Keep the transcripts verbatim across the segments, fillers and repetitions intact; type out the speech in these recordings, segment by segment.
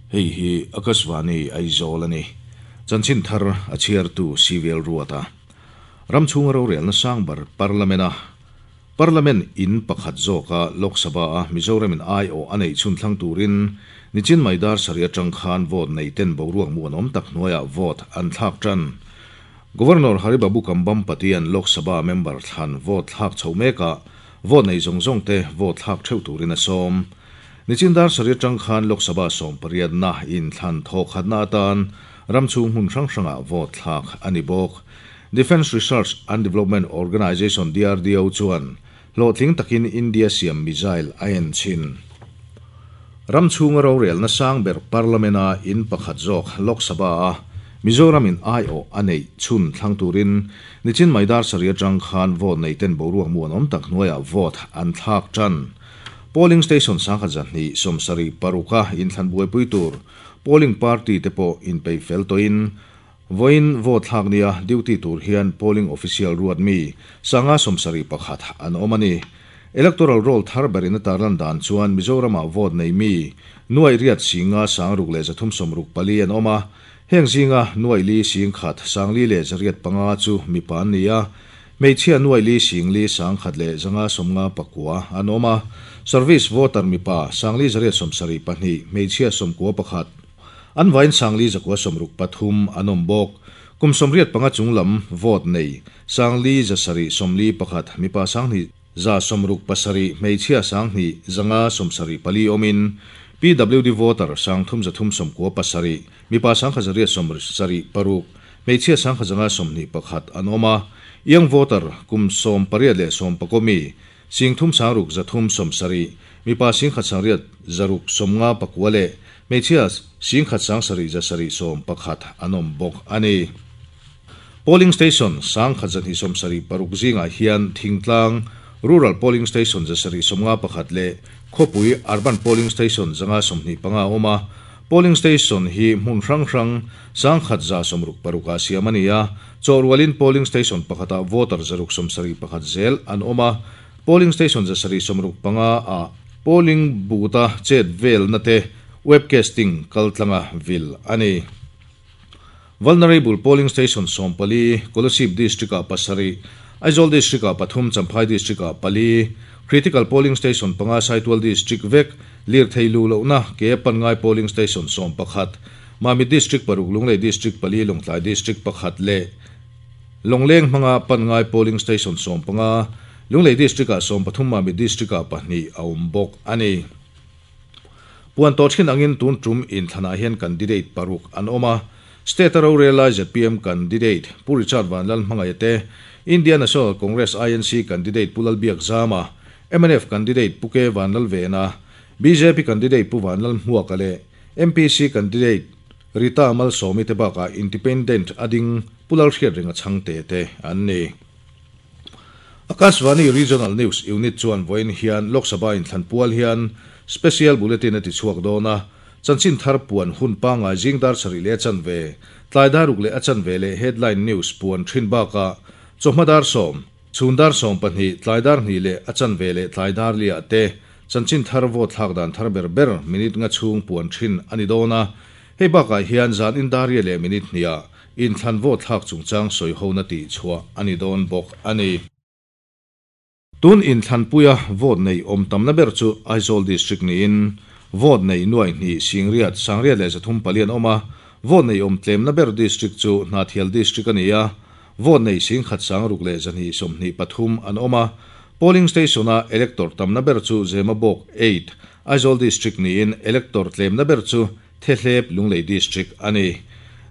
Hei hi Akashvani Aizawl ani. Chanchin thar a chhiartu Civil Ruata. Ramchhung rorelna sangbar Parliament a Parliament in pakhat zawka Lok Sabha a Mizoram in ai o anei chhun thlang turin nichin maidar saria tang khan vote nei ten boruak muan awm tak hnuaiah vote an thlak tan. Governor Haribabu Kambam Patian Lok Sabha member thlan vote thlak chho meka vote nei zawng zawng te vote thlak theuh turin a sawm. Nichin dar saria tang khan Lok Sabha sawm pariat na in thlan thawk khatna atan ramchhung hmun hrang hranga vote thlak ani bawk. Defence Research and Development Organization D R D O chuan hlawhtling takin India siam missile a en chin. Ramchhung rorelna sang ber Parliament a in pakhat zawk Lok Sabha a Mizoram in ai o anei chhun thlang turin nichin maidar saria tang khan vote nei ten boruak muan awm tak hnuaiah vote an thlak tan. Polling station sangkhat zahni sawmsari paruka in thlan buaipui tur polling party te pawh in pei fel tawhin voin vote thlak nia duty tur hian polling official ruat mi sanga sawmsari pakhat an awm ani. Electoral roll thar berin a tarlan dan chuan Mizorama vote nei mi nuai riat singa sangruk leh zathum sawmruk pali an awm a. Heng zinga nuai li sing khat sangli leh zariat panga chu mi pan ni a. Hmeichhia nuai li singli sangkhat leh zanga sawmnga pakua an awm a. Service voter mipa sangli zariat sawmsari pahnih hmeichhia sawmkua pakhat an vain sangli zakua sawmruk pathum an awm bawk. Kum sawmriat panga chunglam vote nei sangli zasari sawmli pakhat mipa sanghnih za sawmruk pasari hmeichhia sanghnih zanga sawmsari pali awmin P W D voter sangthum zathum sawmkua pasari mipa sangkhat zariat sawmsari paruk hmeichhia sangkhat zanga sawmhnih pakhat an awm a. Young voter kum sawm pariat leh sawm pakomi singthum sangruk zathum sawmsari mipa singkhat sangriat zaruk sawmnga pakua leh hmeichhia singkhat sangsari zasari sawm pakhat an awm bawk ani. Polling station sangkhat zahnih sawmsari paruk zingah hian thingtlang rural polling station zasari sawmnga pakhat leh khawpui urban polling station zanga sawmhnih panga awm a. Polling station hi hmun hrang hrang sangkhat za sawmruk paruka siam ani a. Chawhrualin polling station pakhata voter zaruk sawmsari pakhat zel an awm a. Polling station zasari sawmruk panga a polling booth-a chet vel na te webcasting kaltlanga vil ani. Vulnerable polling station sawmpali Kolasib district a pasari Aizawl district a pathum Champhai district a pali critical polling station panga Saitual district vek lir thei lu lohna ke panngai polling station sawm pakhat Mami district paruk Lunglei district pali Lawngtlai district pakhat leh Longleng hmanga panngai polling station sawm panga Lunglei district a sawm pathum Mami district a pahnih a awm bawk ani. Puan tawh thin angin tun tum in thlanah hian candidate paruk an awm a. State rorel Z P M candidate Pu Richard Vanlal hmangaih te Indian National Congress I N C candidate Pu Lalbiak Zama M N F candidate Pu K Vanlal Vena B J P candidate Pu Vanlal Hmuaka leh M P C candidate Rita Malsawmi te bakah independent ading Pu Lalhriat ringa chhangte te an ni. Akashvani Regional News Unit chuan vawiin hian Lok Sabha in thlan pual hian special bulletin a ti chhuak dawn a. Chanchin thar puan hun pangai zingdar sari leh chan ve tlaidar ruk leh a chan ve leh headline news puan thin baka chawhmadar sawm chhundar sawm pahnih tlaidar hnih leh a chan ve leh tlaidar liah te chanchin thar vote thlak dan thar ber ber minute nga chhung puan thin ani dawn a. Hei bakah hian zan indaria leh minute hniah in thlan vote thlak chungchang sawi hona tih chhuah ani dawn bawk ani. Tun in thlanpuia vote nei awm tamna ber chu Aizawl district niin vote nei nuai hnih singriat sangriat leh zathum palian awm a. Vote nei awm tlemna ber district chu Hnahthial district ani a. Vote nei singkhat sangruk leh zahnih sawmhnih pathum an awm a. Polling station a elector tamna ber chu Zemabawk eight Aizawl district niin elector tlemna ber chu Thehlep Lunglei district ani.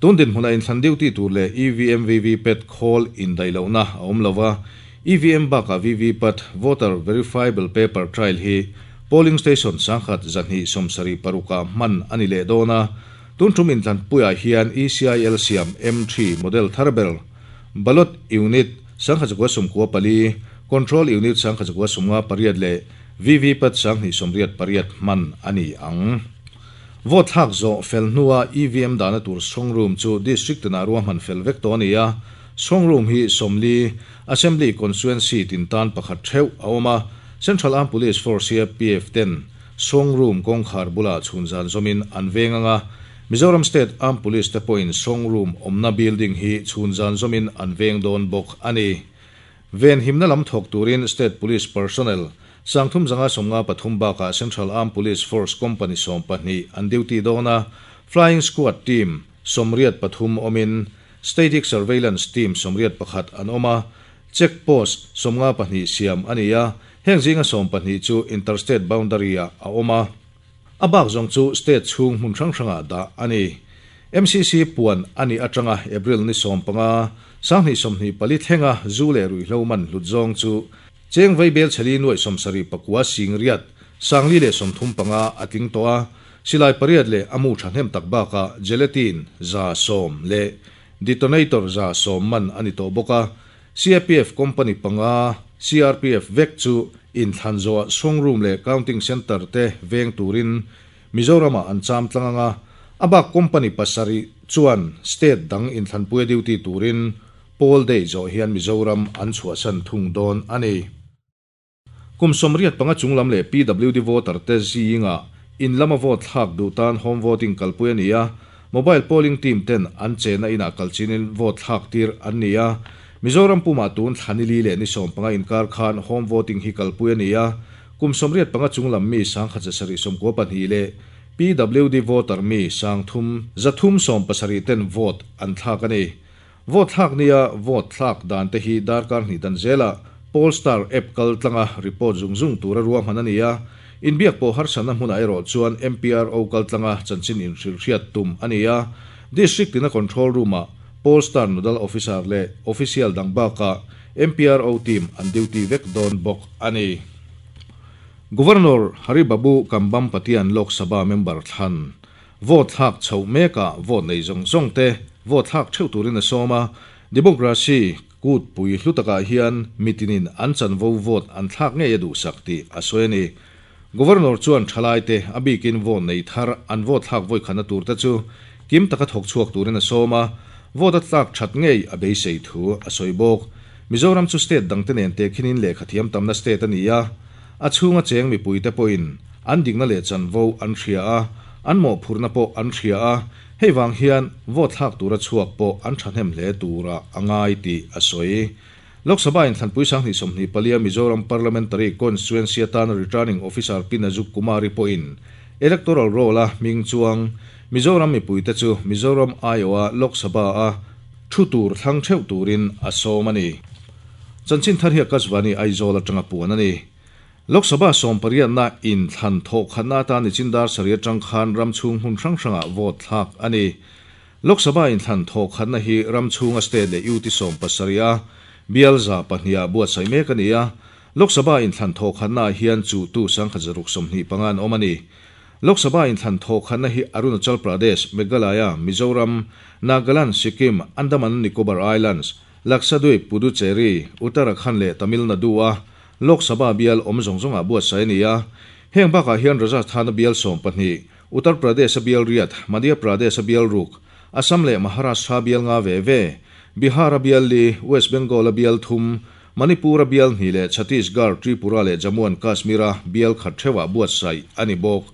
Tun din hmuna in thlan duty tur leh E V M V V PAT khawl indailohna a awm lova. E V M baka V V PAT voter verifiable paper trail hi polling station sangkhat zahnih sawmsari paruka hman ani leh dawn a. Tun tum in thlanpuiah hian E C I L siam M three model thar ber ballot unit sangkhat zakua sawmkua pali control unit sangkhat zakua sawmnga pariat leh V V PAT sanghnih sawmriat pariat hman ani ang. Vote thlak zawh fel hnua E V M dana tur strong room chu district tina ruahman fel vek tawh ani a. Strong room hi sawmli assembly constituency tin tan pakhat theuh a awm a. Central Armed Police Force C A P F ten Strong Room kawngkhar bulah chhun zan zawmin an veng anga Mizoram State Armed Police te pawhin Strong Room awmna building hi chhun zan zawmin an veng dawn bawk a ni. Ven himna lam thawk turin State Police personnel sangthum zanga sawmnga pathum bakah Central Armed Police Force Company sawm pahnih an duty dawn a, Flying Squad team sawmriat pathum awmin Static Surveillance team sawmriat pakhat an awm a, Check Post sawmnga pahnih siam a ni a, heng zinga sawm pahnih chu Interstate Boundary ah a awm a, a bak zawng chu State chhung hmun hrang hrangah dah a ni. M C C puan a nih atanga April ni sawm panga sanghnih sawmhnih pali thlenga zu leh ruihhlo man hlut zawng chu cheng vaibel chhali nuai sawmsarih pakua sing riat sangli leh sawmthum panga a tling tawh a, silai pariat leh a mu thahnem tak bakah gelatin za sawm leh detonator za sawm man a ni tawh bawk a, C A P F company panga C R P F vek chu inthlan zawh strong room leh counting center te veng turin Mizoramah an cham tlang anga a bak company pasarih chuan state dang inthlanpuia duty turin poll day zawh hian Mizoram an chhuahsan thung dawn a ni. Kum sawmriat panga chunglam leh P W D voter te zinga in lama vote thlak duh tan home voting kalpui a ni a, mobile polling team ten an chena inah kalchinin vote thlak tir an ni a, Mizoram puma tun thlanili leh ni sawm panga inkar khan home voting hi kalpui a ni a, kum sawmriat panga chunglam mi sangkhat zasarih sawmkua pahnih leh P W D voter mi sangthum zathum sawm pasarih ten vote an thlak a ni. Vote thlak nia vote thlak dan te hi darkar hnih dan zela Polestar app kal tlanga report zung zung tura ruahman a ni a, inbiak pawh harsatna hmunah erawh chuan M P R O kal tlanga chanchin inhrilhriat tum a ni a, district tina control room-ah Polestar nodal officer leh official dang bakah M P R O team an duty vek dawn bawk a ni. Governor Haribabu Kambhampati-an Lok Sabha member thlan vote thlak chhoh mekah vote nei zawng zawng te vote thlak theuh turin a sawm a, democracy kut pui hlu takah hian mitinin an chanvo vote an thlak ngei a duhsak tih a sawi a ni. Governor chuan thalai te a bikin vote nei thar an vote thlak vawi khatna tur te chu kim taka thawk chhuak turin a sawm a, vote a tlak that ngei a beisei thu a sawi bawk. Mizoram chu state dang te nen te khinin lehkha thiam tamna state a ni a, a chhunga cheng mipui te pawhin an dikna leh chanvo an hria a, an mawhphurna pawh an hria a, hei wang hian vote thlak tura chhuak pawh an thahnem hle tura a ngai tih a sawi. Lok Sabha inthlanpui sanghnih sawmhnih palia Mizoram Parliamentary Constituency atana returning officer Pinajuk Kumari pawhin electoral roll a hming chuang Mizoram mipui te chu Mizoram I O a Lok Sabha a thu tur thlang theuh turin a sawm a ni. Chanchin thar hi Akashvani Aizawl atanga puan a ni. Lok Sabha sawm pariatna inthlan thawh khatna atan nichindar sarih atang khan ram chhung hmun hrang hrangah vote thlak a ni. Lok Sabha inthlan thawh khatna hi ram chhunga state leh U T sawm pasarih a bial za pahnih ah buatsaih mek a ni a, Lok Sabha inthlan thawh khatna hian chu tu sangkhat zaruk sawmhnih panga an awm a ni. Lok Sabha inthlan thawh khatna hi Arunachal Pradesh, Meghalaya, Mizoram, Nagaland, Sikkim, Andaman Nicobar Islands, Lakshadweep, Puducherry, Uttarakhand leh Tamil Nadu a Lok Sabha bial awm zawng zawngah buatsaih a ni a, heng bakah hian Rajasthan bial sawm pahnih, Uttar Pradesh bial riat, Madhya Pradesh bial ruk, Assam leh Maharashtra bial nga ve ve, Bihar bial li, West Bengal bial thum, Manipur bial hnih leh Chhattisgarh, Tripura leh Jammu and Kashmir bial khat theuhah buatsaih a ni bawk.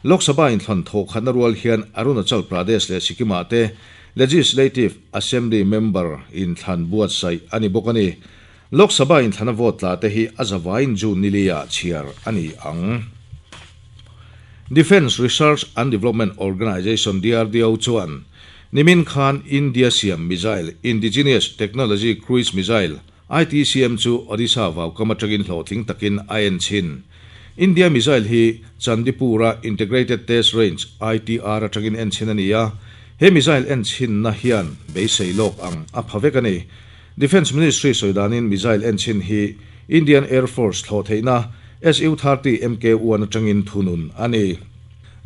Lok Sabha inthlan thawh khatna rual hian Arunachal Pradesh leh Sikkim ah te Legislative Assembly member inthlan buatsaih a ni bawk a ni. Lok Sabha inthlan a vote tla te hi a zawain June nilia chhiar a ni ang. Defence Research and Development Organisation D R D O chuan Nimin Khan India Siam Missile Indigenous Technology Cruise Missile I T C M chu Odisha vaukam atangin hlawhtling takin a en chin. India Missile hi Chandipura Integrated Test Range I T R atangin en chin a ni a, he missile en chin na hian beisei lawk ang a pha vek a ni. Defence Ministry soidanin missile en chin hi Indian Air Force thlawh theihna S U thirty M K one atangin thunun a ni.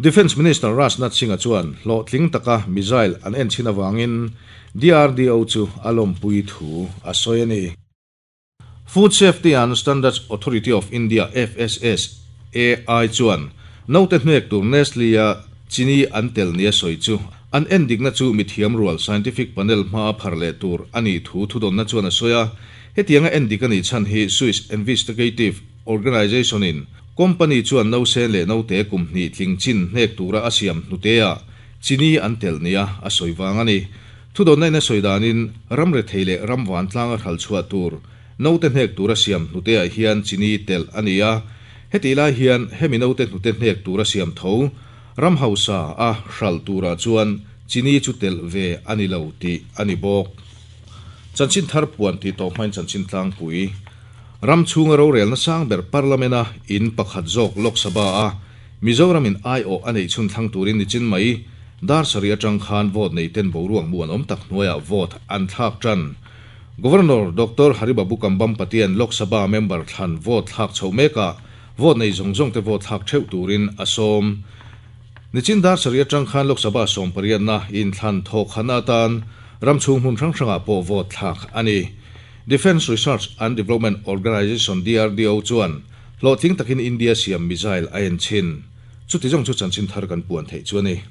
Defence Minister Rajnath Singh a chuan hlawhtling taka missile an en chin awangin D R D O chu a lawmpui thu a sawi a ni. Food Safety and Standards Authority of India F S S A I chuan note hnek tur Nestle a chini an tel nia sawi chu an en dikna chu mithiam rual scientific panel hma phar leh tur ani thu thudawmna chuan a sawi a, hetianga en dik ani chhan hi Swiss Investigative Organization in Company chuan nausen leh naute kum hnih tling chin hnek tura a siam hnuteah chini an telh nia a sawi vang a ni. Thudawnna in a sawi danin ram rethei leh ram vantlang a hralh chhuah tur naute hnek tura siam hnuteah hian chini telh a ni a. Hetih lai hian hemi naute hnute hnek tura siam tho ram hausa a hralh turah chuan chini chu telh ve a ni lo tih a ni bawk. Chanchin thar puan tih tawh hmain chanchin tlangpui ram chhunga rorelna sang ber Parliament-a in pakhat zawk Lok Sabha a Mizoramin aiawh a neih chhun thlang turin nichin mai dar sarih atang khan vote nei ten boruak muan awm tak hnuaiah vote an thlak tan. Governor Doctor Haribabu Kambhampati an Lok Sabha member thlan vote thlak chho mekah vote nei zawng zawng te vote thlak theuh turin a sawm. Nichin dar sarih atang khan Lok Sabha sawm pariatna inthlan thawk khana atan ram chhung hmun hrang hrangah pawh vote thlak a ni. Defence Research and Development Organisation D R D O chuan hlawhtling takin India siam missile a en chin. Chuti zawng chu chanchin thar kan puan theih chu a ni.